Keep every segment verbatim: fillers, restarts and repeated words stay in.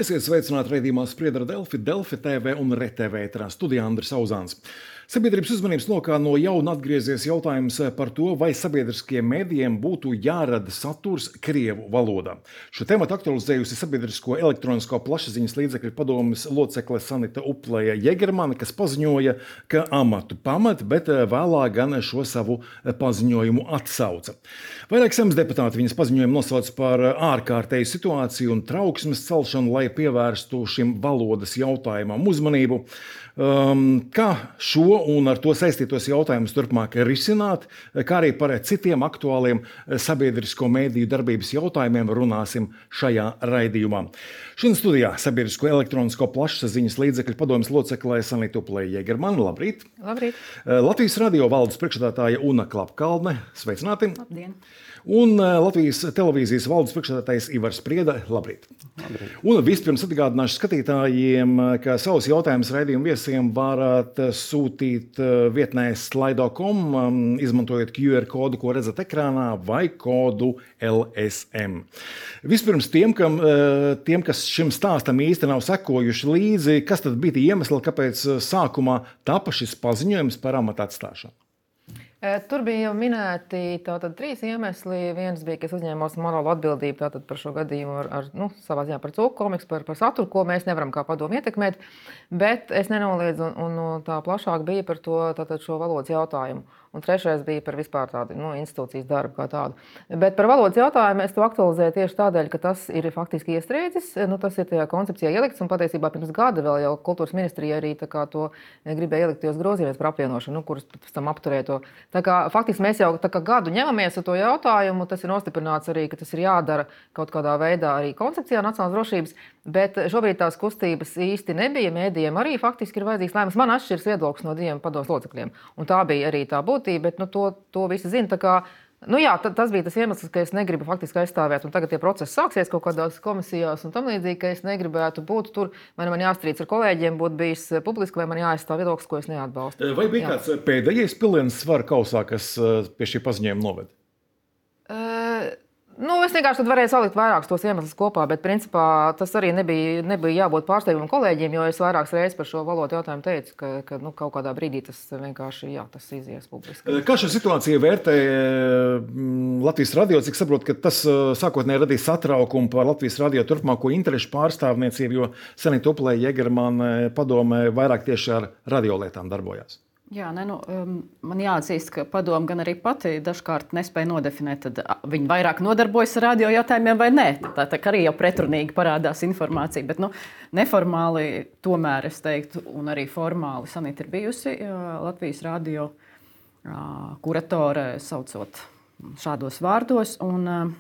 Esiet sveicināti raidījumā Spriedra ar Delfi, Delfi T V un R T V ēterā. Studijā Andris Auzāns. Sabiedrības uzmanības lokā no jauna atgriezies jautājums par to, vai sabiedriskiem mēdījiem būtu jārada saturs krievu valodā. Šo tematu aktualizējusi sabiedrisko elektronisko plašsaziņas līdzekļu padomes locekle Sanita Upleja Jegermane, kas paziņoja, ka amatu pamet, bet vēlāk gan šo savu paziņojumu atsauca. Vairāk Saeimas deputāti viņas paziņojumu nosauc par ārkārtēju situāciju un trauksmes celšanu, lai pievērstu šim valodas jautājumam uzmanību. Um, kā šo un ar to saistītos jautājumus turpmāk risināt, kā arī par citiem aktuāliem sabiedrisko mēdīju darbības jautājumiem runāsim šajā raidījumā. Šodien studijā sabiedrisko elektronisko plašsaziņas līdzekļu padomes loceklē Sanita Upleja Jegermane. Labrīt! Labrīt! Latvijas radio valdes priekšsēdētāja Una Klapkalne. Sveicināti! Labdien! Un Latvijas televīzijas valdes priekšsēdētājs Ivars Sprieda. Labrīt! Labrīt. Un vispirms atgādināšu skatītājiem, ka savus jautājumus raidījumu viesiem varat sūtīt vietnē slido punktu com, izmantojot Q R kodu, ko redzat ekrānā, vai kodu L S M. Vispirms tiem, kam, tiem, kas šim stāstam īsti nav sekojuši līdzi, kas tad bija tie iemesli, kāpēc sākumā tapa šis paziņojums par amata atstāšanu? Tur bija jau minēti tātad trīs iemesli. Viens bija, ka es uzņēmos morālu atbildību tātad par šo gadījumu ar, ar nu, savā ziņā par cūku komiksu, par, par saturu, ko mēs nevaram kā padomu ietekmēt, bet es nenoliedzu un, un tā plašāk bija par to tātad šo valodas jautājumu. Un trešais bija par vispār tādu nu, institūcijas darbu kā tādu. Bet par valodas jautājumu es to aktualizēju tieši tādēļ, ka tas ir faktiski iestrēdzis. Nu, tas ir tajā koncepcijā ielikts un patiesībā pirms gada vēl jau kultūras ministrija arī tā kā to gribēja ielikt tajos grozījumos par apvienošanu, nu, kurus pēc tam apturēja to. Tā kā faktiski mēs jau tā kā gadu ņemamies ar to jautājumu, tas ir nostiprināts arī, ka tas ir jādara kaut kādā veidā arī koncepcijā nacionālās drošības, bet šobrīd tās kustības īsti nebija. Mēdījiem arī faktiski ir vajadzīgs lēmums. Man atšķiras viedoklis no diviem padomes locekļiem, un tā bija arī tā būtība, bet nu, to, to visi zina. Tā kā, nu jā, tas bija tas iemesls, ka es negribu faktiski aizstāvēt, un tagad tie procesi sāksies kaut kādās komisijās un tam līdzīgi, ka es negribētu būt tur, vai man jāstrīds ar kolēģiem, būtu bijis publiski, vai man jāaizstāv viedoklis, ko es neatbalstu. Vai bija jā. kāds pēdējais piliens svara kausā, kas pie šī paziņojuma noved? Uh, Nu, es vienkārši tad varēju salikt vairākus tos iemeslus kopā, bet principā tas arī nebija, nebija jābūt pārsteigumam kolēģiem, jo es vairākas reizes par šo valodu jautājumu teicu, ka, ka nu, kaut kādā brīdī tas vienkārši jā, tas izies publiski. Kā šo situāciju vērtē Latvijas radio? Cik saprot, ka tas sākotnēji radīja satraukumu par Latvijas radio turpmāko interešu pārstāvniecību, jo Sanita Upleja Jegermane padomē vairāk tieši ar radiolietām darbojās? Jā, ne, nu, um, man jāatzīst, ka padome gan arī pati dažkārt nespēja nodefinēt, tad viņi vairāk nodarbojas ar radio jautājumiem vai nē. Tā, tā arī jau pretrunīgi parādās informācija, bet nu, neformāli tomēr es teiktu, un arī formāli Sanita ir bijusi Latvijas radio kuratore, saucot šādos vārdos. Un,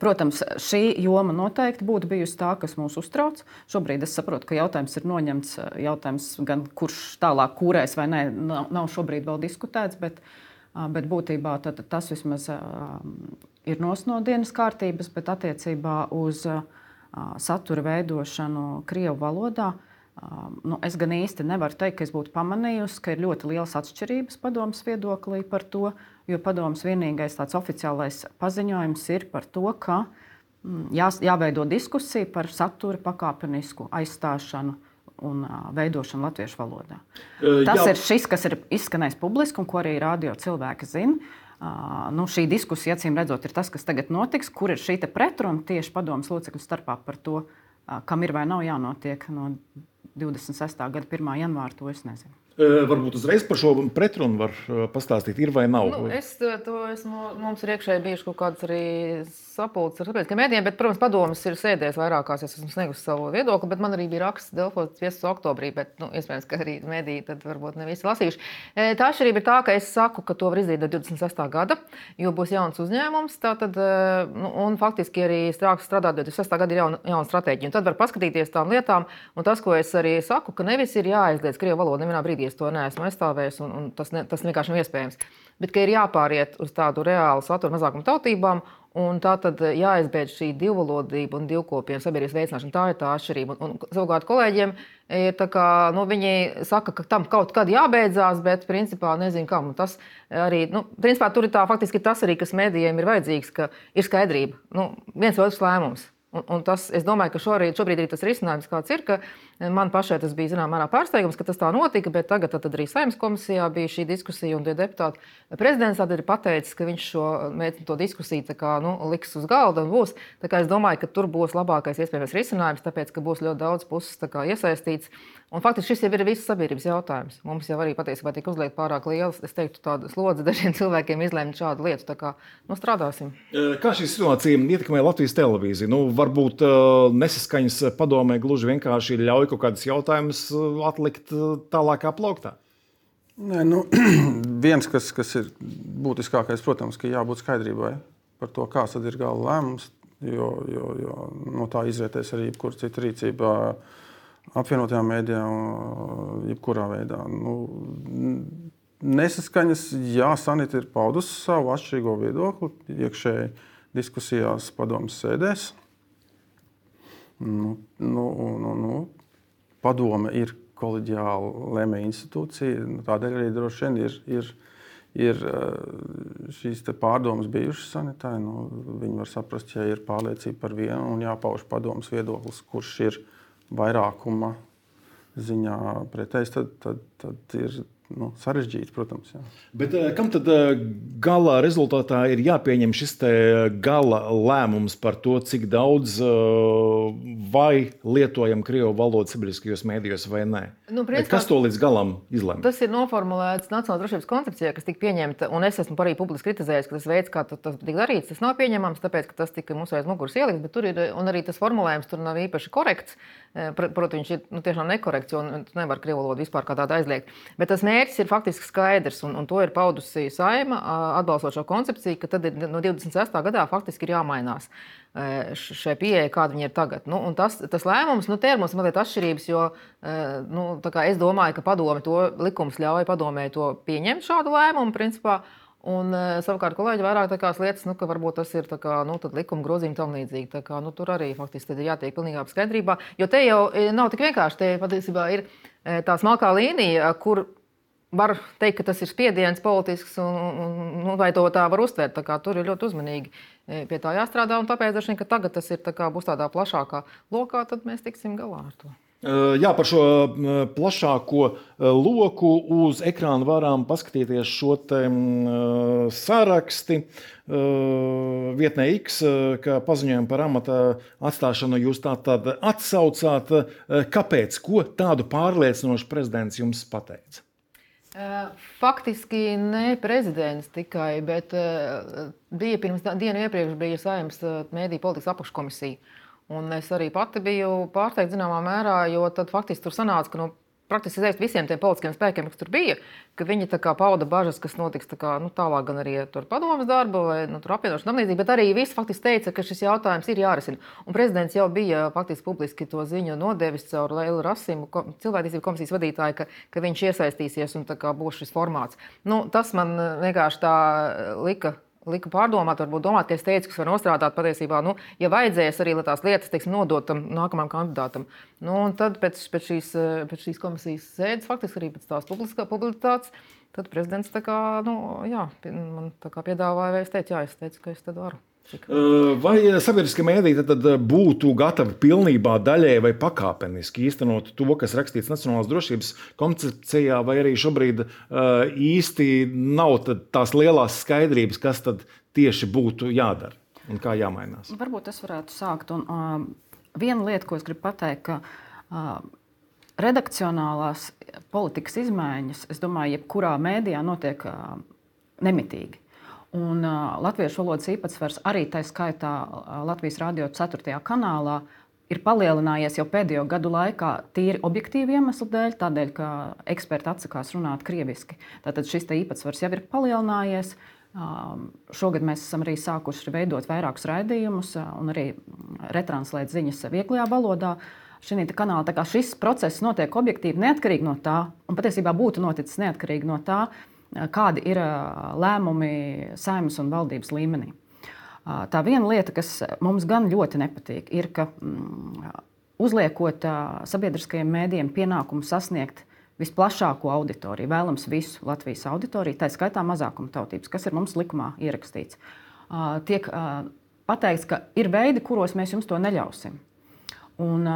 protams, šī joma noteikti būtu bijusi tā, kas mūs uztrauc. Šobrīd es saprotu, ka jautājums ir noņemts, jautājums gan kurš tālāk kūrēs vai nē, nav, nav šobrīd vēl diskutēts, bet, bet būtībā tad, tas vismaz ir nos no dienas kārtības, bet attiecībā uz satura veidošanu krievu valodā, nu, es gan īsti nevaru teikt, ka es būtu pamanījusi, ka ir ļoti lielas atšķirības padomes viedoklī par to, jo padomes vienīgais tāds oficiālais paziņojums ir par to, ka jā, jāveido diskusija par satura pakāpenisku aizstāšanu un veidošanu latviešu valodā. Tas jā. ir šis, kas ir izskanējis publiski un ko arī radio cilvēki zina. Nu, šī diskusija, acīm redzot, ir tas, kas tagad notiks, kur ir šī pretruna tieši padomes locekļu starpā par to, kam ir vai nav jānotiek no divdesmit sestā gada pirmā janvāra, to es nezinu. Varbūt uzreiz par šo pretrunu var pastāstīt, ir vai nav? Nu, es to esmu, mums ir iekšēji bijuši kaut kāds arī sapulces ar sabiedriskiem mēdījiem, bet, protams, padomes ir sēdējis vairākās, es esmu sniegusi savu viedokli, bet man arī bija raksts Delfos viesus oktobrī, bet, nu, iespējams, ka arī mēdīji tad varbūt ne visi lasījuši. Tā atšķirība ir tā, ka es saku, ka to var izdarīt do divdesmit sestā gada, jo būs jauns uzņēmums, tātad, nu, un faktiski arī strāks strādāt do divdesmit sestā gada ir jauna, jauna stratēģija, un tad var paskatīties tām lietām, un tas, ko es arī saku, ka nevis ir jāaizliedz krievu valodu, nevienā brīdī es to neesmu aizstāvējis, un, un tas, ne, tas vienkārši nav iespējams. Bet ka ir jāpāriet uz tādu reālu satura mazākumu tautībām, un tā tad jāizbeidz šī divvalodība un divkopienu sabiedrības veicināšana. Tā ir tā atšķirība. Un, un savukārt kolēģiem ir tā kā, nu, viņi saka, ka tam kaut kad jābeidzās, bet principā nezinu kam. Un tas arī, nu, principā tur ir tā faktiski tas arī, kas mēdījiem ir vajadzīgs, ka ir skaidrība. Nu, viens otrs lēmums. Un, un tas, es domāju, ka šorīt, šobrīd arī tas risinājums, kāds ir, ka man pašai tas bija zināmā mērā pārsteigums, ka tas tā notika, bet tagad tad arī Saeimas komisijā bija šī diskusija un tie deputāti. Prezidents tad ir pateicis, ka viņš šo to diskusiju tā kā, nu, liks uz galda un būs. Tā kā es domāju, ka tur būs labākais iespējamais risinājums, tāpēc, ka būs ļoti daudz puses tā kā iesaistīts. Un faktiski šis jau ir visas sabiedrības jautājums. Mums jau arī patiesībā tika uzliekt pārāk liels, es teiktu, tāda slodze dažiem cilvēkiem izlēmt šādu lietu. Tā kā, nu, strādāsim. Kā šī situācija ietekmē Latvijas televīziju? Nu, varbūt nesaskaņas padomē gluži vienkārši ļauj kaut kādas jautājumus atlikt tālākā plauktā? Nē, nu, viens, kas, kas ir būtiskākais, protams, ka jābūt skaidrībai par to, kāds tad ir gala lēmums, jo, jo, jo no tā izrietēs arī jebkura cita rīcība apvienotajām mēdījām, jebkurā veidā. Nu, nesaskaņas, jā, Sanita ir paudusi savu atšķirīgo viedokli iekšēji diskusijās padomes sēdēs. Nu, nu, nu, nu, padome ir koleģiāla lēmēja institūcija, tādēļ arī droši vien ir, ir, ir šīs te pārdomas bijušas Sanitai. Nu, viņi var saprast, ja ir pārliecība par vienu un jāpauž padomes viedoklis, kurš ir vairākuma ziņā pretējs, tad, tad, tad ir nu, sarežģīti, protams. Jā. Bet kam tad gala rezultātā ir jāpieņem šis te gala lēmums par to, cik daudz vai lietojam krievu valodu sabiedriskajos mēdījos vai nē? Nu, principā, kas to līdz galam izlemj? Tas ir noformulēts Nacionālās drošības koncepcijā, kas tika pieņemta, un es esmu arī publiski kritizējis, ka tas veids, kā tas tika darīts, tas nav pieņemams, tāpēc, ka tas tika mums aiz muguras ielikt, bet tur ir, un arī tas formulējums tur nav īpaši korekts. Protams, viņš ir nu, tiešām nekorekts, jo tu nevar krievu valodu vispār kā tādu aizliegt. Bet tas mērķis ir faktiski skaidrs, un, un to ir paudusi Saeima, atbalstot šo koncepciju, ka tad ir, no divdesmit sestā gadā faktiski ir jāmainās šai pieeja, kāda viņa ir tagad. Nu, un tas, tas lēmums, nu, te ir mums mazliet atšķirības, jo nu, tā kā es domāju, ka padome to likums ļauj padomē to pieņemt šādu lēmumu, principā. Un savukārt kolēģi vairāk tākās lietas, nu, ka varbūt tas ir tā kā, nu, tad likuma grozījumi tam līdzīgi. Tā kā, nu, tur arī faktiski tad ir jātiek pilnīgā skaidrībā, jo te jau nav tik vienkārši, te patiesībā ir tā smalkā līnija, kur var teikt, ka tas ir spiediens politisks un, un nu, vai to tā var uztvert. Tā kā tur ir ļoti uzmanīgi pie tā jāstrādā un tāpēc, dažiem, ka tagad tas ir tā kā būs tādā plašākā lokā, tad mēs tiksim galā ar to. Jā, par šo plašāko loku uz ekrāna varam paskatīties šo te saraksti. Vietnē X, ka paziņojumu par amata atstāšanu jūs tā tad atsaucāt. Kāpēc? Ko tādu pārliecinošu prezidents jums pateica? Faktiski ne prezidents tikai, bet bija pirms dienu iepriekš bija Saeimas mēdīju politikas apakškomisija. Un es arī pati biju pārsteigta zināmā mērā, jo tad faktiski tur sanāca, ka no praktiski izēst visiem tiem politiskiem spēkiem, kas tur bija, ka viņi tā kā pauda bažas, kas notiks tā kā, nu, tālāk gan arī tur padomas darba vai nu, tur apvienošana tam līdzīgi, bet arī visi faktiski teica, ka šis jautājums ir jārisina. Un prezidents jau bija faktiski publiski to ziņu nodevis caur Leilu Rasimu, cilvēktiesību komisijas vadītāju, ka, ka viņš iesaistīsies un tā kā būs šis formāts. Nu, tas man vienkārši tā lika. Lika pārdomāt, varbūt domāt, ka es teicu, kas var nostrādāt patiesībā, nu, ja vajadzēs arī, lai tās lietas, teiksim, nodot tam nākamajam kandidātam. Nu, un tad pēc, pēc, šīs, pēc šīs komisijas sēdes, faktiski arī pēc tās publicitātes, tad prezidents tā kā, nu, jā, man tā kā piedāvāja, vai es teicu, jā, es teicu, ka es tad varu. Vai sabiedriskie mēdīji tad būtu gatavi pilnībā daļēji vai pakāpeniski īstenot to, kas rakstīts Nacionālās drošības koncepcijā, vai arī šobrīd īsti nav tās lielās skaidrības, kas tad tieši būtu jādara un kā jāmainās? Varbūt es varētu sākt. Un, uh, viena lieta, ko es gribu pateikt, ka uh, redakcionālās politikas izmaiņas, es domāju, jebkurā mēdījā notiek uh, nemitīgi. Un uh, latviešu valodas īpatsvars arī tā skaitā uh, Latvijas radio ceturtajā kanālā ir palielinājies jau pēdējo gadu laikā tīri objektīvu iemeslu dēļ, tādēļ, ka eksperti atsakās runāt krieviski. Tātad šis īpatsvars jau ir palielinājies. Uh, šogad mēs esam arī sākuši veidot vairākus raidījumus uh, un arī retranslēt ziņas vieglajā valodā. Šī kanāla, tā kā šis process notiek objektīvi neatkarīgi no tā, un patiesībā būtu noticis neatkarīgi no tā, kādi ir lēmumi Saeimas un valdības līmenī. Tā viena lieta, kas mums gan ļoti nepatīk, ir, ka mm, uzliekot sabiedriskajiem mēdījiem pienākumu sasniegt visplašāko auditoriju, vēlams visu Latvijas auditoriju, tā skaitā mazākuma tautības, kas ir mums likumā ierakstīts, tiek pateikts, ka ir veidi, kuros mēs jums to neļausim. Un,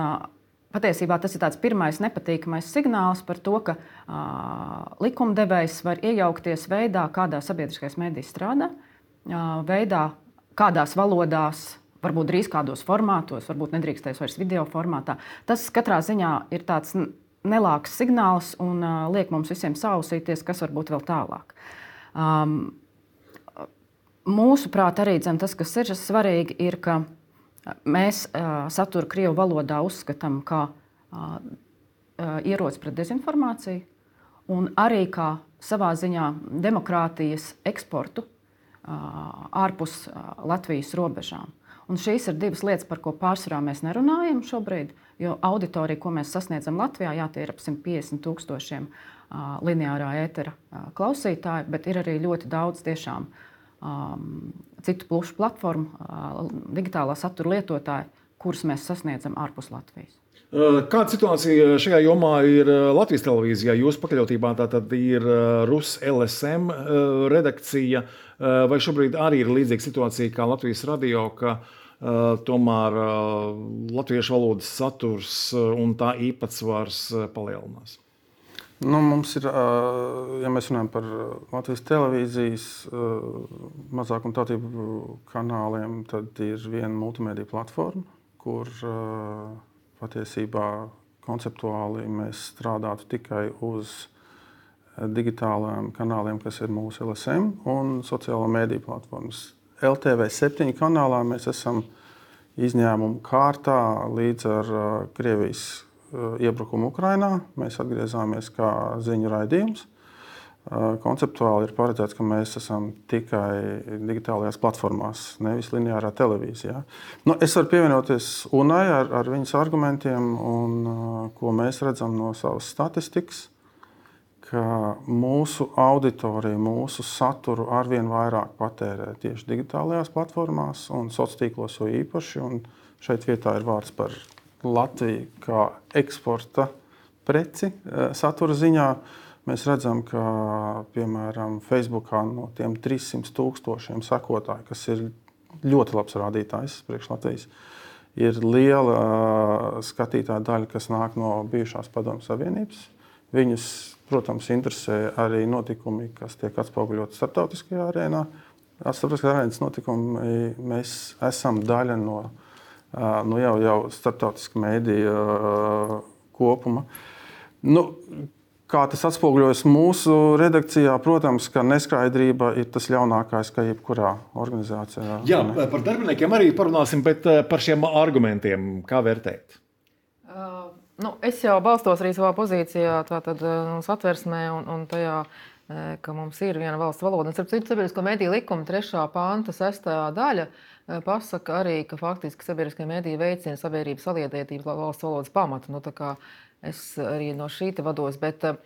patiesībā tas ir tāds pirmais nepatīkamais signāls par to, ka uh, likumdevējs var iejaukties veidā, kādā sabiedriskais medijs strādā, uh, veidā, kādās valodās, varbūt drīz kādos formātos, varbūt nedrīkstēs vairs video formātā. Tas katrā ziņā ir tāds nelāks signāls un uh, liek mums visiem sausīties, kas var būt vēl tālāk. Um, mūsuprāt, arī dzem, tas, kas ir svarīgi, ir, ka mēs uh, saturu krievu valodā uzskatām kā uh, ieroci pret dezinformāciju un arī kā savā ziņā demokrātijas eksportu uh, ārpus uh, Latvijas robežām. Un šīs ir divas lietas, par ko pārsvarā mēs nerunājam šobrīd, jo auditorija, ko mēs sasniedzam Latvijā, jā, tie ir ap simt piecdesmit tūkstošiem uh, lineārā ētera uh, klausītāji, bet ir arī ļoti daudz tiešām um, citu plušu platformu, uh, digitālā satura lietotāji, kurus mēs sasniedzam ārpus Latvijas. Kāda situācija šajā jomā ir Latvijas televīzijā? Jūsu pakaļautībā tā tad ir Rus L S M redakcija, vai šobrīd arī ir līdzīga situācija kā Latvijas radio, ka uh, tomēr uh, latviešu valodas saturs un tā īpatsvars palielinās? Nu, mums ir, ja mēs runājam par Latvijas televīzijas mazākumtautību kanāliem, tad ir viena multimediju platforma, kur patiesībā konceptuāli mēs strādātu tikai uz digitālajiem kanāliem, kas ir mūsu L S M un sociālo mediju platformas. L T V septiņi kanālā mēs esam izņēmumu kārtā līdz ar Krievijas iebrukumu Ukrainā. Mēs atgriezāmies kā ziņu raidījums. Konceptuāli ir paredzēts, ka mēs esam tikai digitālajās platformās, nevis lineārā televīzijā. Nu, es varu pievienoties Unai ar, ar viņas argumentiem, un ko mēs redzam no savas statistikas, ka mūsu auditorija, mūsu saturu arvien vairāk patērē tieši digitālajās platformās un sociālos tīklos jo īpaši. Un šeit vietā ir vārds par Latviju kā eksporta preci satura ziņā. Mēs redzam, ka, piemēram, Facebookā no tiem trīssimt tūkstošiem sekotāju, kas ir ļoti labs rādītājs priekš Latvijas, ir liela skatītāja daļa, kas nāk no bijušās Padomju Savienības. Viņus, protams, interesē arī notikumi, kas tiek atspoguļoti starptautiskajā arēnā. Starptautiskajā arēnas notikumi mēs esam daļa no, no jau, jau starptautiska mēdīja kopuma. Nu, Kā tas atspoguļojas mūsu redakcijā, protams, ka neskaidrība ir tas ļaunākais, kā jebkurā organizācijā. Jā, par darbiniekiem arī parunāsim, bet par šiem argumentiem, kā vērtēt? Uh, nu, es jau balstos arī savā pozīcijā, tātad satversmē un, un tajā, ka mums ir viena valsts valoda. Un, starp citu, sabiedrisko mediju likuma trešā panta sestā daļa pasaka arī, ka faktiski sabiedriskie mediji veicina sabiedrības saliedētību valsts valodas pamatu. Nu, tā kā es arī no šī te vados, bet uh,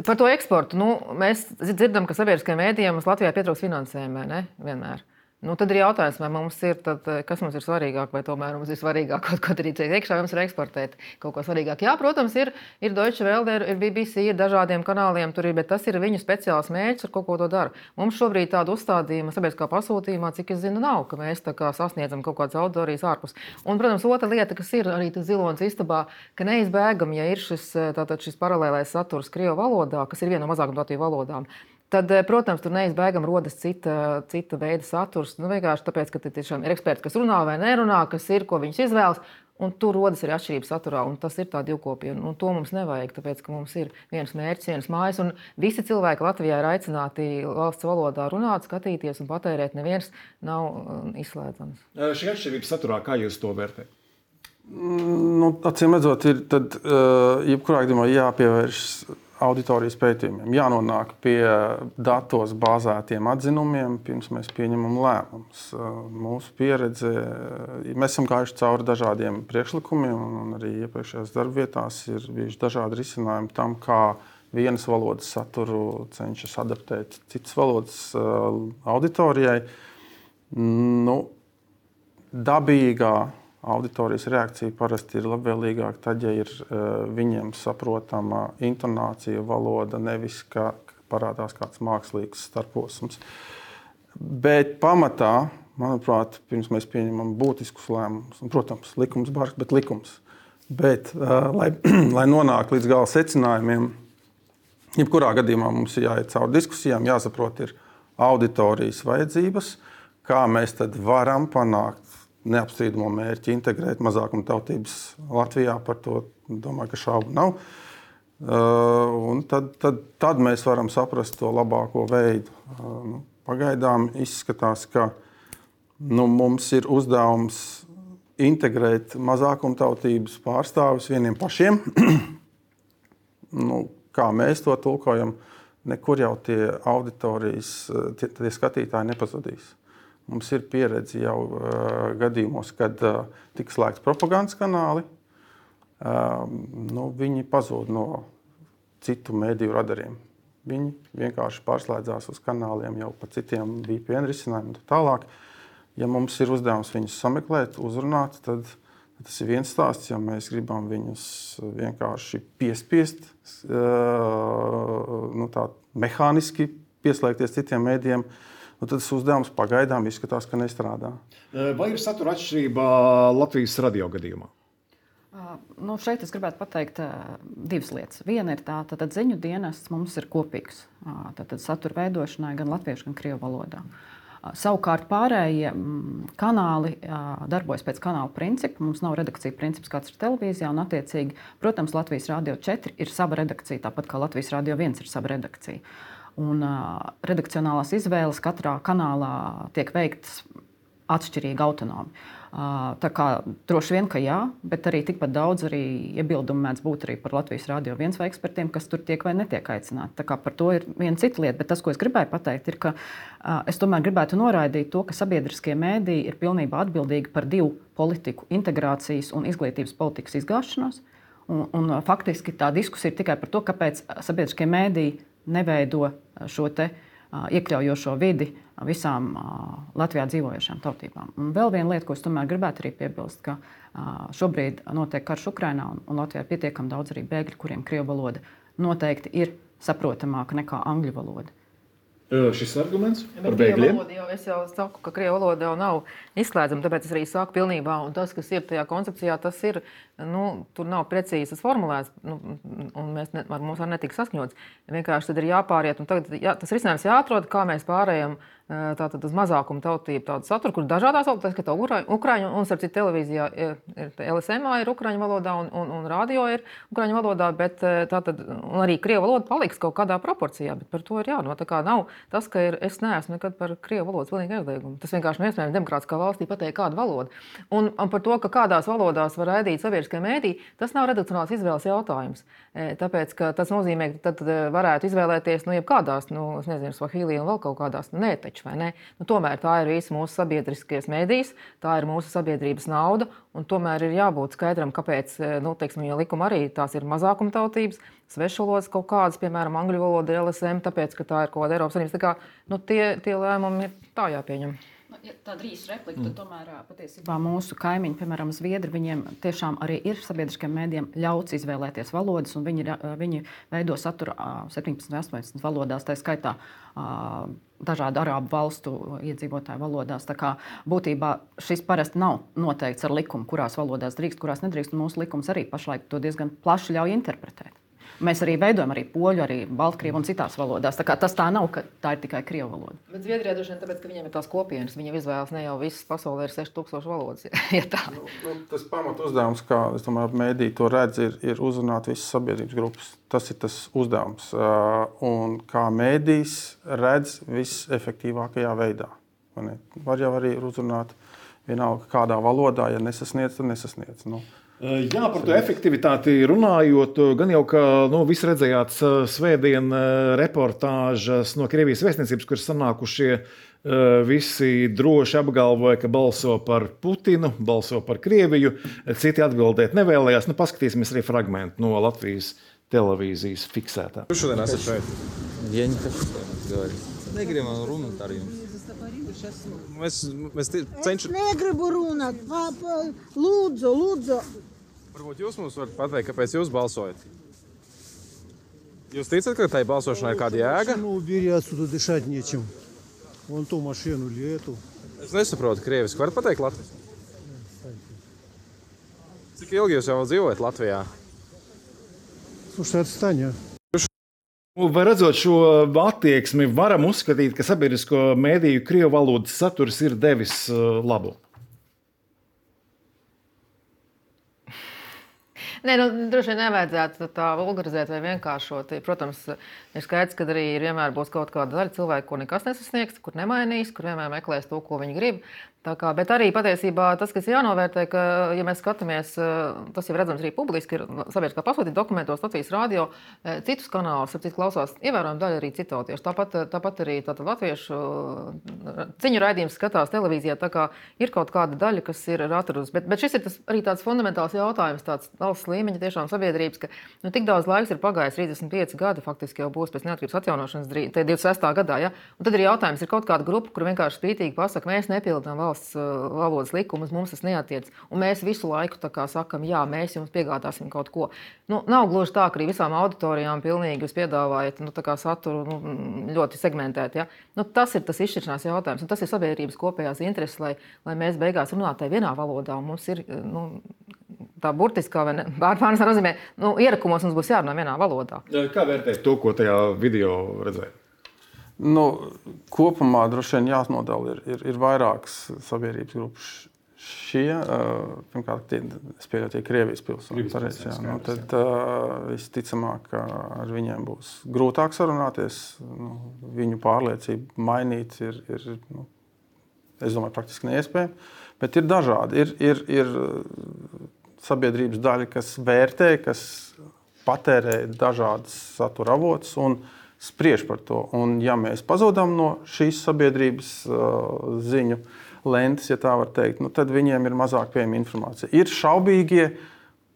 par to eksportu, nu, mēs dzirdam, ka sabiedriskajiem mēdījiem mums Latvijā pietrūkst finansējuma, ne? Vienmēr. Nu, tad ir jautājums, vai mums ir, tad, kas mums ir svarīgāk, vai tomēr mums ir svarīgāk kaut ko darīt iekšā, vai mums ir eksportēt kaut ko svarīgāk. Jā, protams, ir, ir Deutsche Welle, ir B B C, ir dažādiem kanāliem, tur ir, bet tas ir viņu speciāls mērķis, ar kaut ko to dara. Mums šobrīd tādu uzstādījumu sabiedriskā pasūtījumā, cik es zinu, nav, ka mēs tā kā sasniedzam kaut kādas auditorijas ārpus. Un, protams, otra lieta, kas ir arī tas zilonis istabā, ka neizbēgami, ja ir šis, tātad šis paralēlais saturs krievu valodā, kas ir viena no mazākumtautību valodām, tad, protams, tur neizbēgam rodas cita, cita veida saturs. Nu, vienkārši tāpēc, ka tiešām ir eksperti, kas runā vai nerunā, kas ir, ko viņus izvēlas, un tur rodas arī atšķirības saturā, un tas ir tā divkopība. Un to mums nevajag, tāpēc, ka mums ir viens mērķis, viens mājas, un visi cilvēki Latvijā ir aicināti valsts valodā runāt, skatīties un patērēt. Neviens nav izslēdzams. Šī atšķirības saturā, kā jūs to vērtējat? Nu, acīm redzot, ir tad, jebkurā gadījumā jāpievēršas auditorijas pētījumiem, jānonāk pie datos bāzētiem atzinumiem, pirms mēs pieņemam lēmumus. Mūsu pieredze, mēs esam gājuši cauri dažādiem priekšlikumiem, un arī iepriekšējās darbvietās ir bijuši dažādi risinājumi tam, kā vienas valodas saturu cenšas adaptēt citas valodas auditorijai. Nu, dabīgā auditorijas reakcija parasti ir labvēlīgāka tad, ja ir uh, viņiem saprotama intonācija, valoda, nevis ka parādās kāds mākslīgs starposms. Bet pamatā manuprāt, pirms mēs pieņemam būtiskus lēmumus, un, protams, likums bargs, bet likums. Bet, uh, lai, lai nonāktu līdz gala secinājumiem, jebkurā gadījumā mums ir jāiet cauri diskusijām, jāsaprot ir auditorijas vajadzības, kā mēs tad varam panākt neapstrīdamo mērķi integrēt mazākumtautības Latvijā, par to domāju, ka šaubu nav. Uh, un tad, tad, tad mēs varam saprast to labāko veidu. Uh, nu, pagaidām izskatās, ka nu, mums ir uzdevums integrēt mazākumtautības pārstāvis vieniem pašiem. nu, kā mēs to tulkojam, nekur jau tie auditorijas, tie, tie skatītāji nepazudīs. Mums ir pieredze jau uh, gadījumos, kad uh, tika slēgts propagandas kanāli. Uh, nu, viņi pazūd no citu mediju radariem. Viņi vienkārši pārslēdzās uz kanāliem jau pa citiem V P N risinājumiem un tālāk. Ja mums ir uzdevums viņus sameklēt, uzrunāt, tad tas ir viens stāsts. Ja mēs gribam viņus vienkārši piespiest, uh, nu, tā mehāniski pieslēgties citiem medijiem, nu, tad tas uzdevums pagaidām izskatās, ka nestrādā. Vai ir satura atšķirība Latvijas radio gadījumā? Nu, šeit es gribētu pateikt uh, divas lietas. Viena ir tā, ka ziņu dienests mums ir kopīgs. Uh, tad satura veidošanai gan latviešu, gan krievu valodā. Uh, savukārt pārējie mm, kanāli uh, darbojas pēc kanāla principa. Mums nav redakcija princips, kāds ir televīzijā. Un, attiecīgi, protams, Latvijas Rādio četri ir sava redakcija, tāpat kā Latvijas Rādio viens ir sava redakcija. Un, uh, redakcionālās izvēles katrā kanālā tiek veiktas atšķirīgi autonomi. Tā kā droši vien, ka jā, bet arī tikpat daudz arī iebildumu mēdz būt arī par Latvijas Rādio viens vai ekspertiem, kas tur tiek vai netiek aicināti. Tā kā par to ir viena cita lieta, bet tas, ko es gribēju pateikt, ir, ka es tomēr gribētu noraidīt to, ka sabiedriskie mēdīji ir pilnībā atbildīgi par divu politiku integrācijas un izglītības politikas izgāšanos. Un, un faktiski tā diskusija ir tikai par to, kāpēc sabiedriskie mēdīji neveido šo te iekļaujošo vidi visām Latvijā dzīvojošām tautībām. Un vēl viena lieta, ko es tomēr gribētu arī piebilst, ka šobrīd notiek karš Ukrainā un Latvijā ir pietiekami daudz arī bēgļu, kuriem krievu valoda noteikti ir saprotamāka nekā angļu valoda. Šis arguments par bēgļiem? Jau, es jau saku, ka krievu valoda jau nav izslēdzama, tāpēc es arī saku pilnībā, un tas, kas ir tajā koncepcijā, tas ir, nu, tur nav precīzas formulēts, nu, un mēs ne, ar mums var netika saskaņots. Vienkārši tad ir jāpāriet, un tagad jā, tas risinājums jāatrod, kā mēs pārējam tātad uz mazākumu tautību tādu saturu, kur dažādās valodās, ka tā ukraiņu, un starp citu televīzijā ir, ir L S M ir ukraiņu valodā, un, un, un radio ir ukraiņu valodā, bet tātad, un arī krievu valoda paliks kaut kādā proporcijā, bet par to ir jānot. Tā kā nav tas, ka ir, es neesmu nekad par krievu valodas pilnīgi aizliegumu. Tas vienkārši nav iespējams demokrātiskā valstī pateikt kādu valodu. Un, un par to, ka kādās valodās var raidīt sabiedriskie mēdī, tas nav redakcionāls izvēles jautājums. Tāpēc, ka tas nozīmē, ka tad varētu izvēlēties, nu, jebkādās, nu, es nezinu, Svahīlī un vēl kaut kādās, nu, nē, taču, vai ne? Nu, tomēr tā ir visa mūsu sabiedriskais mēdījis, tā ir mūsu sabiedrības nauda, un tomēr ir jābūt skaidram, kāpēc, nu, teiksim, jo likuma arī tās ir mazākumtautības, svešvalodas kaut kādas, piemēram, angļu valoda ir L S M, tāpēc, ka tā ir kaut kāda Eiropas Savienības. Tā kā, nu, tie, tie lēmumi ir tā jāpieņem. Ja tāda īsa replika, tad tomēr patiesībā mūsu kaimiņi, piemēram, Zviedri, viņiem tiešām arī ir sabiedriskiem mēdījiem ļauts izvēlēties valodas, un viņi, viņi veido saturu septiņpadsmit, astoņpadsmit valodās, tā skaitā dažādu arābu valstu iedzīvotāju valodās. Tā kā būtībā šis parasti nav noteikts ar likumu, kurās valodās drīkst, kurās nedrīkst, un mūsu likums arī pašlaik to diezgan plaši ļauj interpretēt. Mēs arī veidojam arī poļu, arī baltkrievu un citās valodās. Tā kā tas tā nav, ka tā ir tikai krievu valoda. Bet Zviedrijā droši vien tāpēc, ka viņiem ir tās kopienas, viņiem izvēlas ne jau visas pasaulē ir seši tūkstoši valodas. Ja tā. Nu, nu, tas pamat uzdevums, kā es domāju, mēdī to redz, ir, ir uzrunāt visas sabiedrības grupas. Tas ir tas uzdevums. Un kā mēdījis redz visefektīvākajā veidā. Var jau arī uzrunāt vienalga kādā valodā, ja nesasniedz, tad nesasniedz. Nu, Jā, par to efektivitāti runājot, gan jau, ka nu, visi redzējāt svētdien reportāžas no Krievijas vēstniecības, kur sanākušie visi droši apgalvoja, ka balso par Putinu, balso par Krieviju, citi atbildēt nevēlējās. Nu, paskatīsimies arī fragmentu no Latvijas televīzijas fiksētā. Jūs šodien esat šeit? Ja не хочу говорить. Negribam runāt ar jums. Mēs, mēs cenšam... Es negribu runāt. Lūdzu, lūdzu. Varbūt jūs mums varat pateikt, kāpēc jūs balsojat? Jūs ticat, ka tai balsošanai ir kāda jēga? Машину убери, отсюда дышать нечем. Вон ту машину или эту. Es nesaprotu krieviski. Varat pateikt latviski? Cik ilgi jūs jau dzīvojat Latvijā? Слушай, отстань, а. Vai redzot šo attieksmi, varam uzskatīt, ka sabiedrisko mēdīju krievu valodas saturs ir devis labu? Nē, nu, droši vien nevajadzētu tā vulgarizēt vai vienkāršot. Protams, ir skaidrs, ka arī vienmēr būs kaut kāda daļa cilvēku, ko nekas nesasniegs, kur nemainīs, kur vienmēr meklēs to, ko viņi grib. Tā kā, bet arī patiesībā tas, kas jānovērtē, ka, ja mēs skatāmies, tas jau redzams arī publiski, ir sabiedriskā pasūtīta dokumentos, Latvijas radio, citus kanālus, ap citu klausās ievērojama daļa arī citautiešu. Tāpat, tāpat arī tātad latviešu ciņu raidījums skatās televīzijā, tā kā ir kaut kāda daļa, kas ir atradusi. Bet, bet šis ir tas, arī tāds fundamentāls jautājums, tāds valsts līmeņa tiešām sabiedrības, ka nu, tik daudz laiks ir pagājis, trīsdesmit pieci gadi faktiski jau būs pēc neatkarības atjaunošanas, tie divdesmit sestā gadā, ja? Un tad ir jautājums, ir kaut kāda grupa, kur vienkārši spītīgi pasaka, mēs nepildām valsts valodas likumus, mums tas neatiec. Un mēs visu laiku tā kā sakam, jā, mēs jums piegādāsim kaut ko. Nu, nav gluži tā, ka arī visām auditorijām pilnīgi jūs piedāvājat nu, tā kā saturu nu, ļoti segmentēt. Ja? Nu, tas ir tas izšķiršanās jautājums. Un tas ir sabiedrības kopējās intereses, lai, lai mēs beigās runātu vienā valodā. Un mums ir nu, tā burtiskā vai bārpārnes nozīmē, nu, ierakumos mums būs jārunā vienā valodā. Kā vērtēt to, ko tajā video redzēja? Nu, kopumā droši vien jānodala ir, ir, ir vairākas sabiedrības grupas. Šie, pirmkārt, tie, es pieļauju, tie Krievijas pilsoņi. Nu, tad uh, visticamāk, ka ar viņiem būs grūtāk sarunāties. Nu, viņu pārliecību mainīt ir, ir nu, es domāju, praktiski neiespējami. Bet ir dažādi. Ir, ir, ir sabiedrības daļa, kas vērtē, kas patērē dažādas satura avotus un spriež par to. Un ja mēs pazudām no šīs sabiedrības uh, ziņu lentes, ja tā var teikt, nu, tad viņiem ir mazāk pieejama informācija. Ir šaubīgie,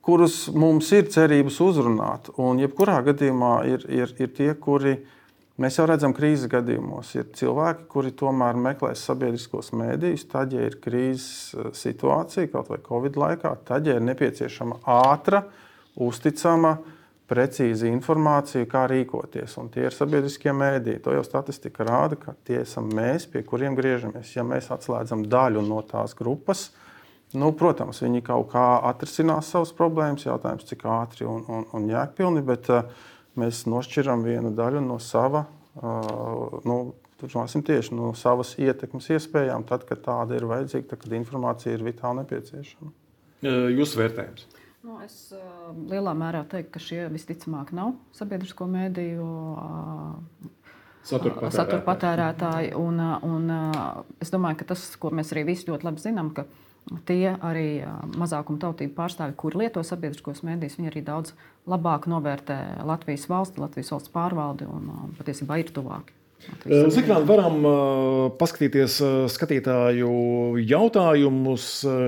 kurus mums ir cerības uzrunāt, un jebkurā gadījumā ir, ir, ir tie, kuri, mēs jau redzam krīzes gadījumos, ir cilvēki, kuri tomēr meklēs sabiedriskos mēdījus, tad, ja ir krīzes situācija, kaut vai Covid laikā, tad, ja ir nepieciešama ātra, uzticama, precīzi informāciju, kā rīkoties. Un tie ir sabiedriskie mēdīji. To jau statistika rāda, ka tie esam mēs, pie kuriem griežamies. Ja mēs atslēdzam daļu no tās grupas, nu, protams, viņi kaut kā atrisinās savas problēmas, jautājums, cik ātri un, un, un jēgpilni, bet uh, mēs nošķiram vienu daļu no sava, uh, nu, turpināsim tieši no savas ietekmes iespējām, tad, kad tāda ir vajadzīga, tad, kad informācija ir vitāli nepieciešama. Jūsu vērtējums? Nu, es uh, lielā mērā teiktu, ka šie visticamāk nav sabiedrisko mēdīju uh, satura patērētāji. Satura patērētāji un, un uh, es domāju, ka tas, ko mēs arī visi ļoti labi zinām, ka tie arī uh, mazākuma tautību pārstāvi, kuri lieto sabiedriskos mēdījus, viņi arī daudz labāk novērtē Latvijas valsti, Latvijas valsts pārvaldi un uh, patiesībā ir tuvāki. Zikrāni, varam paskatīties skatītāju jautājumus.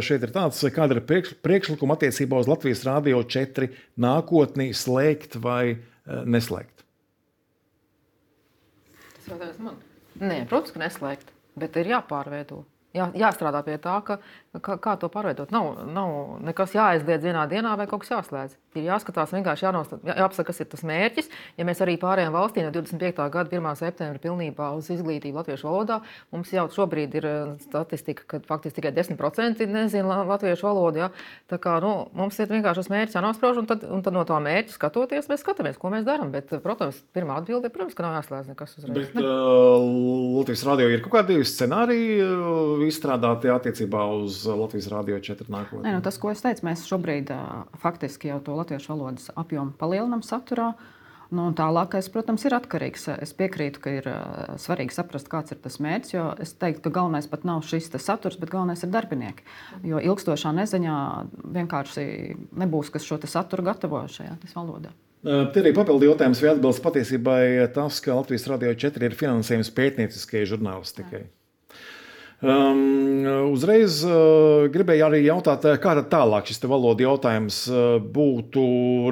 Šeit ir tāds, kāda ir priekšlikuma attiecībā uz Latvijas Rādio četri nākotni slēgt vai neslēgt? Tas jautājums man? Nē, protams, ka neslēgt, bet ir jāpārveido. Jā, jāstrādā pie tā, ka, kā, kā to pārveidot. Nav, nav nekas jāaizliedz vienā dienā vai kaut kas jāslēdz. Ir jāskatās vienkārši jānostat, jā, jāapsaka, kas ir tas mērķis. Ja mēs arī pārējām valstī no divdesmit piektā gada pirmā septembra pilnībā uz izglītību latviešu valodā, mums jau šobrīd ir statistika, ka faktiski tikai desmit procenti nezina latviešu valodu. Jā. Tā kā nu, mums ir vienkārši tas mērķis jānosprauž, un tad, un tad no tā mērķa skatoties, mēs skatāmies, ko mēs darām. Bet, protams, pirmā atbilde, protams, ka nav jāslēdz nekas uzreiz. Bet uh, Latvijas radio ir kaut kādi scenāriji izstrādāti attiecībā uz Latvijas Rādio četri nākotnē? Nē, nu, tas, ko es teicu, mēs šobrīd uh, faktiski jau to latviešu valodas apjomu palielinam saturā. Nu, tālākais, protams, ir atkarīgs. Es piekrītu, ka ir uh, svarīgi saprast, kāds ir tas mērķis, jo es teiktu, ka galvenais pat nav šis saturs, bet galvenais ir darbinieki. Jo ilgstošā neziņā vienkārši nebūs, kas šo saturu gatavo šajā valodā. Te arī papildu jautājums, vai atbilst patiesībai tas, ka Latvijas Rādio četri ir finansējums pētnieciskajai žurnālistikai? Um, uzreiz uh, gribēju arī jautāt, kā tad tālāk šis te valodu jautājums uh, būtu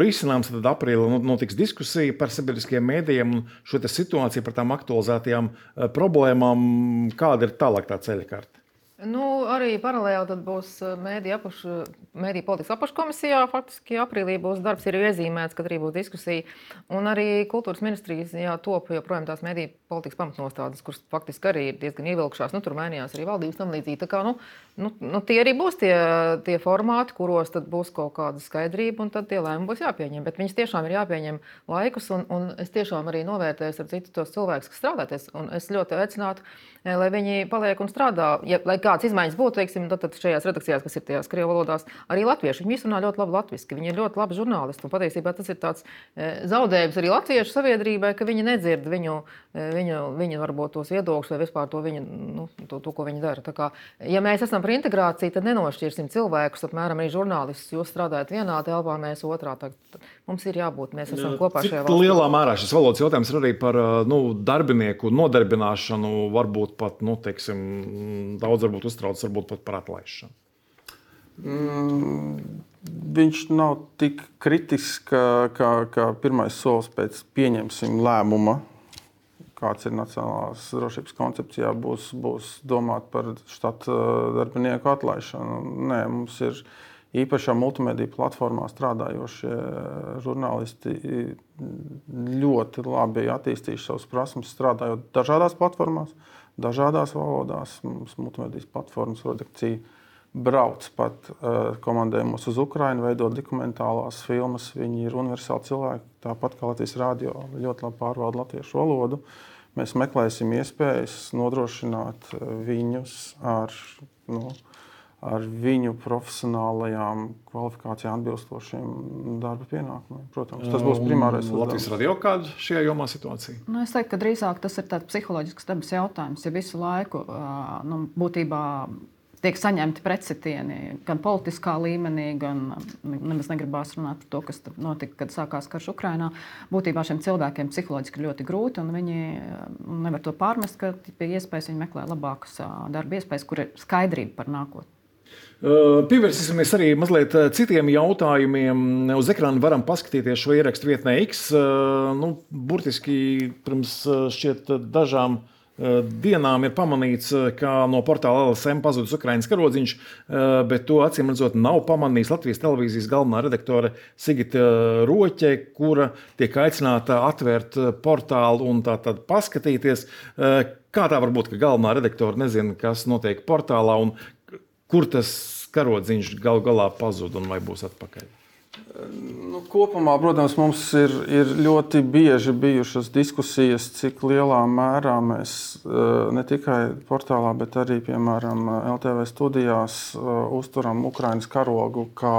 risināms. Tad aprīlī notiks diskusija par sabiedriskiem mēdījiem un šo te situāciju par tām aktualizētajām uh, problēmām. Kāda ir tālāk tā ceļa karte? Nu, arī paralēli tad būs mēdī apašu, mēdī politikas apakškomisijā. Faktiski aprīlī būs darbs, ir iezīmēts, kad arī būs diskusija. Un arī kultūras ministrijas jā, top joprojām tās mēdī politikas pamatnostādes, kuras faktiski arī ir diezgan ievilkšās. Nu, tur mainījās arī valdības tam līdzīgi. Tā kā, nu, nu, nu, tie arī būs tie, tie formāti, kuros tad būs kaut kāda skaidrība un tad tie lēmumi būs jāpieņem. Bet viņas tiešām ir jāpieņem laikus un, un es tiešām arī novērtēju ar citu tos cilvēkus, kas strādāties. Un es ļoti aicinātu, lai viņi paliek un strādā. Ja, lai kādas izmaiņas būtu, teiksim, tad, tad šajās redakcijās, kas ir tajās krievu valodās, arī latvieši. Viņi visi runā ļoti labi latviski, viņi ir ļoti labi žurnālisti. Un patiesībā tas ir tāds e, zaudējums arī latviešu sabiedrībai, ka viņi nedzird viņu, e, viņu, viņu varbūt tos viedokļus vai vispār to, viņu, nu, to, to, ko viņi dara. Tā kā, ja mēs esam par integrāciju, tad nenošķirsim cilvēkus, apmēram arī žurnālistus. Jūs strādājat vienā telpā, mēs otrā. Tad mums ir jābūt, mēs esam kopā šajā valstī. Cik lielā mērā šis valodas jautājums ir arī par nu, darbinieku nodarbināšanu, varbūt pat, nu, teiksim, daudz varbūt uztrauc, varbūt pat par atlaišanu? Mm, viņš nav tik kritisks, kā, kā, kā pirmais solis pēc pieņemsim lēmuma, kāds ir nacionālās drošības koncepcijā, būs, būs domāt par štata darbinieku atlaišanu. Nē, mums ir īpašā multimediju platformā strādājošie žurnālisti ļoti labi attīstījuši savus prasmes, strādājot dažādās platformās, dažādās valodās. Mums multimedijas platformas redakcija brauc pat uh, komandējumos uz Ukrainu, veidot dokumentālās filmas. Viņi ir universāli cilvēki, tāpat kā Latvijas radio, ļoti labi pārvalda latviešu valodu. Mēs meklēsim iespējas nodrošināt viņus ar, nu, ar viņu profesionālajām kvalifikācijām atbilstošiem darba pienākumiem. Protams, tas būs primārais uzdevums. Latvijas radio kāda šajā jomā situācija? Nu, es teiktu, ka drīzāk tas ir tāds psiholoģisks dabas jautājums, ja visu laiku nu, būtībā tiek saņemti pretsitieni gan politiskā līmenī, gan nemaz negribās runāt par to, kas notika, kad sākās karš Ukrainā. Būtībā šiem cilvēkiem psiholoģiski ļoti grūti, un viņi nevar to pārmest, ka pie iespējas viņi meklē labākas darba iespējas, kur ir skaidrība par nākotni. Pievērsīsimies arī mazliet citiem jautājumiem. Uz ekrāna varam paskatīties šo ierakstu vietnē X. Nu, burtiski pirms šķiet dažām dienām ir pamanīts, ka no portāla L S M pazudis Ukrainas karodziņš, bet to acīm redzot nav pamanījis Latvijas televīzijas galvenā redaktore Sigita Roķe, kura tiek aicināta atvērt portālu un tā tad paskatīties. Kā tā var būt, ka galvenā redaktore nezina, kas notiek portālā un kur tas karodziņš gal galā pazud un vai būs atpakaļ? Nu, kopumā, protams, mums ir, ir ļoti bieži bijušas diskusijas, cik lielā mērā mēs ne tikai portālā, bet arī, piemēram, L T V studijās uzturam Ukrainas karogu kā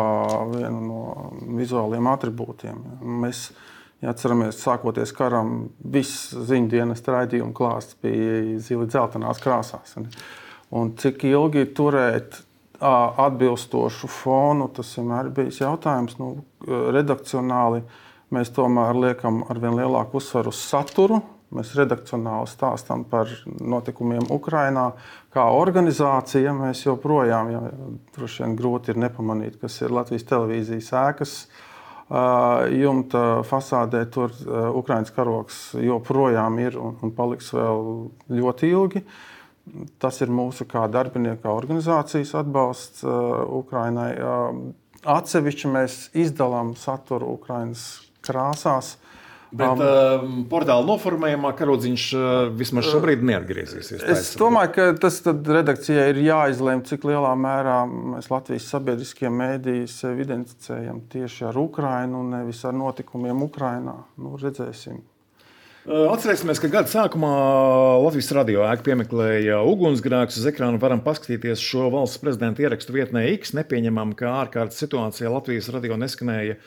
vienu no vizuāliem atribūtiem. Mēs, ja atceramies, sākoties karam, viss ziņdienas raidījuma klāsts bija zili dzeltenās krāsās. Un cik ilgi turēt atbilstošu fonu, tas vienmēr ir bijis jautājums. Nu, redakcionāli mēs tomēr liekam arvien lielāku uzsvaru uz saturu. Mēs redakcionāli stāstam par notikumiem Ukrainā. Kā organizācija mēs joprojām, ja, droši vien grūti ir nepamanīt, kas ir Latvijas televīzijas ēkas jumta fasādē. Tur Ukrainas karogs joprojām ir un, un paliks vēl ļoti ilgi. Tas ir mūsu kā darbinieka organizācijas atbalsts uh, Ukrainai. Uh, atsevišķi mēs izdalām saturu Ukrainas krāsās. Bet um, uh, portāla noformējumā karodziņš uh, vismaz šobrīd neatgriezīsies. Es domāju, ka tas tad redakcijai ir jāizlēm, cik lielā mērā mēs Latvijas sabiedriskie mēdīji sevi identificējam tieši ar Ukrainu, nevis ar notikumiem Ukrainā. Nu, redzēsim. Atcerēsimies, ka gada sākumā Latvijas radio ēka piemeklēja ugunsgrēkus. Uz ekrāna varam paskatīties šo valsts prezidenta ierakstu vietnē X. Nepieņemam, ka ārkārtas situācijā Latvijas radio neskanēja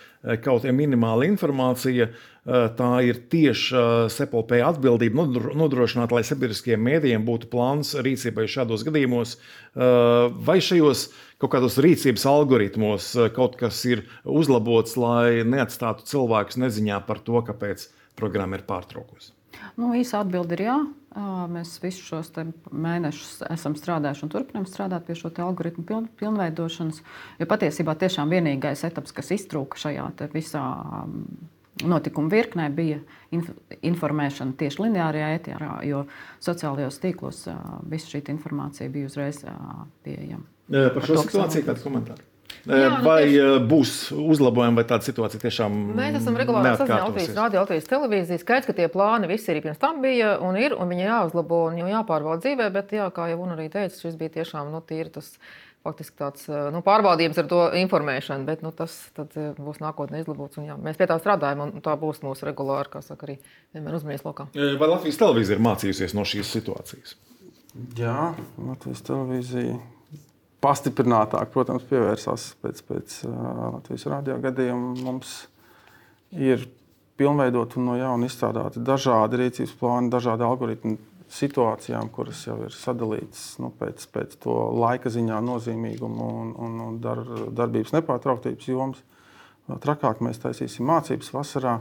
kaut minimāla informācija. Tā ir tieši S E P L P atbildība nodrošināt, lai sabiedriskiem mēdījiem būtu plāns rīcībai šādos gadījumos. Vai šajos kaut kādos rīcības algoritmos kaut kas ir uzlabots, lai neatstātu cilvēkus neziņā par to, kāpēc programma ir pārtraukusi? Nu, īsa atbilde ir jā. Mēs visus šos mēnešus esam strādājuši un turpinām strādāt pie šo algoritmu piln, pilnveidošanas. Jo patiesībā tiešām vienīgais etaps, kas iztrūka šajā visā notikumu virknē bija inf informēšana tieši lineārajā ēterā, jo sociālajos tīklos visa šī informācija bija uzreiz pieejama. Par šo to, situāciju kāds komentārs? Jā, nu, vai tieši... būs uzlabojumi, vai tāda situācija tiešām Mēs esam regulāri saziņā Latvijas radio, Latvijas televīzija. Skaidrs, ka tie plāni visi arī pirms tam bija un ir, un viņi jāuzlabo un jau jāpārbauda dzīvē, bet jā, kā jau un arī teica, šis bija tiešām nu, tīri tas faktiski tāds nu, pārbaudījums ar to informēšanu, bet nu, tas tad būs nākotnē izlabots. Un, jā, mēs pie tā strādājam, un tā būs mūsu regulāri, kā saka, arī vienmēr uzmanības lokā. Vai Latvijas televīzija ir mācījusies no šīs situācijas? Jā, Latvijas televīzija pastiprinātāk, protams, pievērsās pēc, pēc uh, Latvijas radio gadījuma. Mums ir pilnveidot un no jauna izstrādāti dažādi rīcības plāni, dažādi algoritmi situācijām, kuras jau ir sadalītas nu, pēc, pēc to laika ziņā nozīmīgumu un, un, un dar, darbības nepārtrauktības jomas. Trakāk mēs taisīsim mācības vasarā.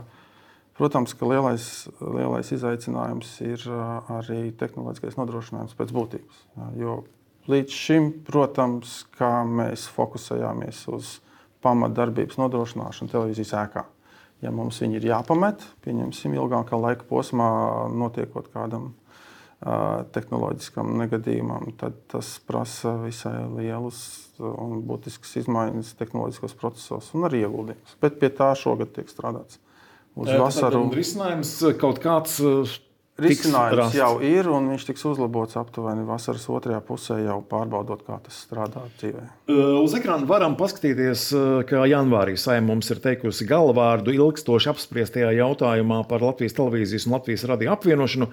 Protams, ka lielais, lielais izaicinājums ir arī tehnoloģiskais nodrošinājums pēc būtības. Jo līdz šim, protams, kā mēs fokusējāmies uz pamatdarbības nodrošināšanu televīzijas ēkā. Ja mums viņi ir jāpamet, pieņemsim ilgākā laika posmā notiekot kādam tehnoloģiskam negadījumam, tad tas prasa visai lielus un būtiskas izmaiņas tehnoloģiskos procesos un arī ieguldījumus. Bet pie tā šogad tiek strādāts. Uz vasaru risinājums kaut kāds risinājums jau ir, un viņš tiks uzlabots aptuveni vasaras otrajā pusē, jau pārbaudot, kā tas strādā dzīvē. Uz ekrāna varam paskatīties, ka janvārī Saeima mums ir teikusi galvārdu ilgstoši apspriestajā jautājumā par Latvijas televīzijas un Latvijas radio apvienošanu.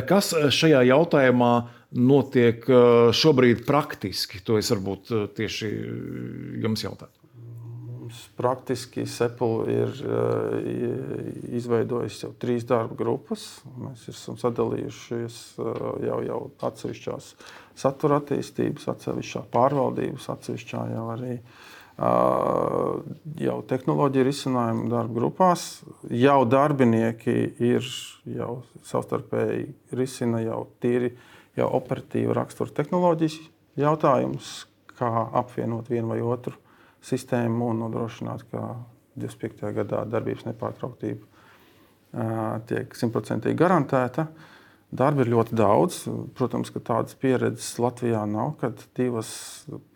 Kas šajā jautājumā notiek šobrīd praktiski? To es varbūt tieši jums jautāju. Praktiski Sepul ir izveidojis jau trīs darba grupas. Mēs esam sadalījušies jau, jau atsevišķās satura attīstības, atsevišķā pārvaldības, atsevišķā jau arī jau tehnoloģija risinājumu darba grupās. Jau darbinieki ir jau savstarpēji risina jau tīri jau operatīva rakstura tehnoloģijas jautājumus, kā apvienot vienu vai otru sistēmu un nodrošināt, ka divdesmit piektajā gadā darbības nepārtrauktība tiek simtprocentīgi garantēta. Darba ir ļoti daudz. Protams, ka tādas pieredzes Latvijā nav, kad divas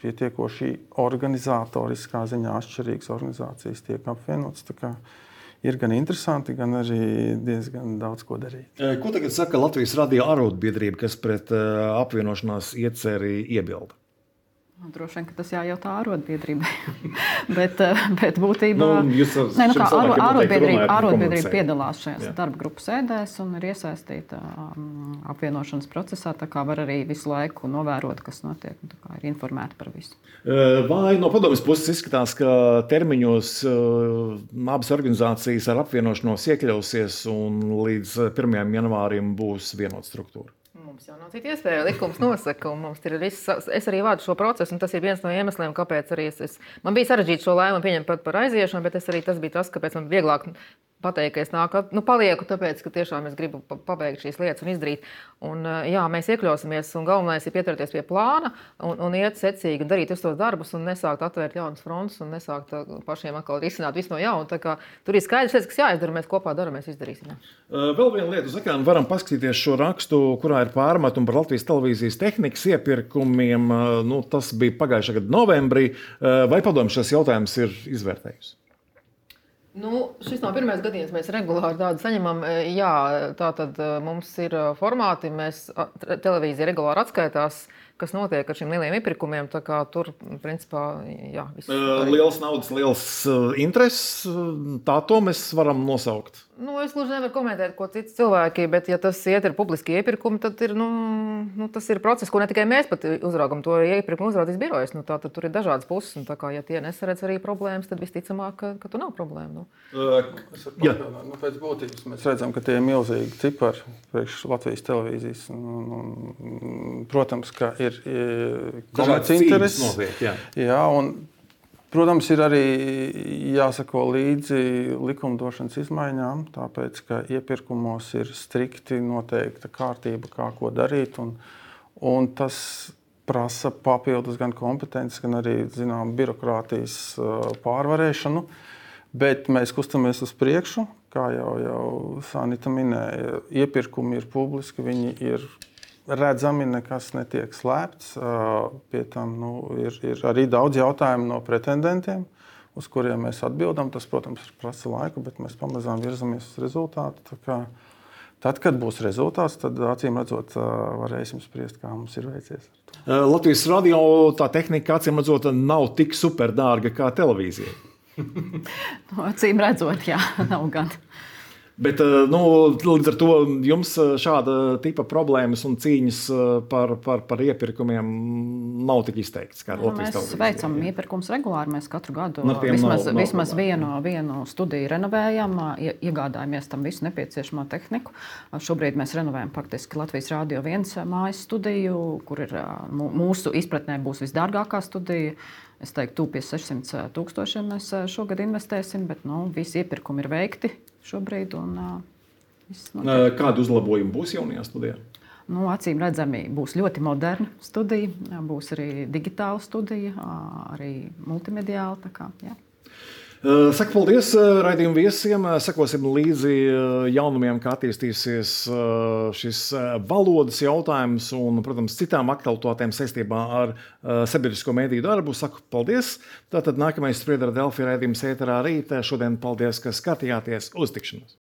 pietiekoši organizatoriskā ziņā atšķirīgas organizācijas tiek apvienotas. Tā kā ir gan interesanti, gan arī diezgan daudz ko darīt. Ko tagad saka Latvijas radio arotbiedrība, kas pret apvienošanās ieceri iebilda? Droši vien, ka tas jājautā arotbiedrībai. bet, bet būtībā nu, ne, nu kā, aro, arotbiedrība, arotbiedrība piedalās šajās darba grupu sēdēs un ir iesaistīta um, apvienošanas procesā. Tā kā var arī visu laiku novērot, kas notiek. Tā kā ir informēta par visu. Vai no padomjas puses izskatās, ka termiņos uh, abas organizācijas ar apvienošanos iekļausies un līdz pirmajam janvārim būs vienota struktūra? Mums jau nav cita iespēja, likums nosaka, un mums ir viss, es arī vādu šo procesu, un tas ir viens no iemesliem, kāpēc arī es, es man bija sarežģīti šo lēmumu pieņemt par, par aiziešanu, bet es arī tas bija tas, kāpēc man vieglāk pateikt, ka es nāku, nu, palieku, tāpēc, ka tiešām es gribu pabeigt šīs lietas un izdarīt. Un, jā, mēs iekļausimies, un galvenais ir pieturēties pie plāna un, un iet secīgi un darīt visus tos darbus un nesākt atvērt jaunas frontes un nesākt pašiem atkal risināt visu no jauna. Tā kā tur ir skaidrs lietas, kas jāizdara, mēs kopā daram, mēs izdarīsim. Jā. Vēl viena lieta uz ekrāna varam paskatīties šo rakstu, kurā ir pārmetumi par Latvijas televīzijas tehnikas iepirkumiem. Nu, tas bija pagājušā gada novembrī. Vai padomju šis jautājums ir izvērtējusi? Nu, šis nav pirmais gadījums, mēs regulāri tādu saņemam. Jā, tā tad mums ir formāti, mēs televīzija regulāri atskaitās, kas notiek ar šiem lieliem iepirkumiem. Tā kā tur, principā, jā. Viss liels naudas, liels intereses, tā to mēs varam nosaukt. Nu, es gluži nevaru komentēt, ko citi cilvēki, bet ja tas iet ar publiski iepirkumu, tad ir, nu, nu, tas ir process, ko ne tikai mēs pat uzraugam, to iepirkumu uzraudzīs birojas. Nu, tā tad tur ir dažādas puses, un tā kā, ja tie nesaredz arī problēmas, tad visticamāk, ka, ka tu nav problēma. Nu. Uh, nu, pēc būtības mēs redzam, ka tie ir milzīgi cipari priekš Latvijas televīzijas. Un, un, protams, ka ir komerci intereses. Notiek, jā. Jā, un protams, ir arī jāsako līdzi likumdošanas izmaiņām, tāpēc, ka iepirkumos ir strikti noteikta kārtība, kā ko darīt, un, un tas prasa papildus gan kompetences, gan arī, zinām, birokrātijas pārvarēšanu, bet mēs kustamies uz priekšu, kā jau, jau Sanita minēja, iepirkumi ir publiski, viņi ir redzami, nekas netiek slēpts. Pie tam nu, ir, ir arī daudz jautājumu no pretendentiem, uz kuriem mēs atbildam. Tas, protams, prasa laiku, bet mēs pamazām virzamies uz rezultātu. Tā kā, tad, kad būs rezultāts, tad acīm redzot, varēsim spriest, kā mums ir veicies. Latvijas radio tā tehnika, acīm redzot, nav tik superdārga kā televīzija. No, acīm redzot, jā, nav gan. Bet nu, līdz ar to jums šāda tipa problēmas un cīņas par, par, par iepirkumiem nav tik izteikts kā Latvijas televīzijā. Mēs veicam iepirkums regulāri. Mēs katru gadu no, vismaz, nav, nav vismaz vienu, vienu studiju renovējam, iegādājamies tam visu nepieciešamo tehniku. Šobrīd mēs renovējam faktiski Latvijas Rādio viens mājas studiju, kur ir mūsu izpratnē būs visdārgākā studija. Es teiktu, tūp pie sešsimt tūkstošiem mēs šogad investēsim, bet nu, visi iepirkumi ir veikti šobrīd. Un, uh, Kādi uzlabojumi būs jaunajā studijā? Nu, acīm redzami būs ļoti moderna studija, būs arī digitāla studija, arī multimediāla. Tā kā, jā. Saku paldies raidījumu viesiem. Sekosim līdzi jaunumiem, kā attīstīsies šis valodas jautājums un, protams, citām aktualitātēm saistībā ar sabiedrisko mediju darbu. Saku paldies. Tātad nākamais Spriedra Delfi raidījums ēterā rīt. Šodien paldies, ka skatījāties. Uz tikšanos!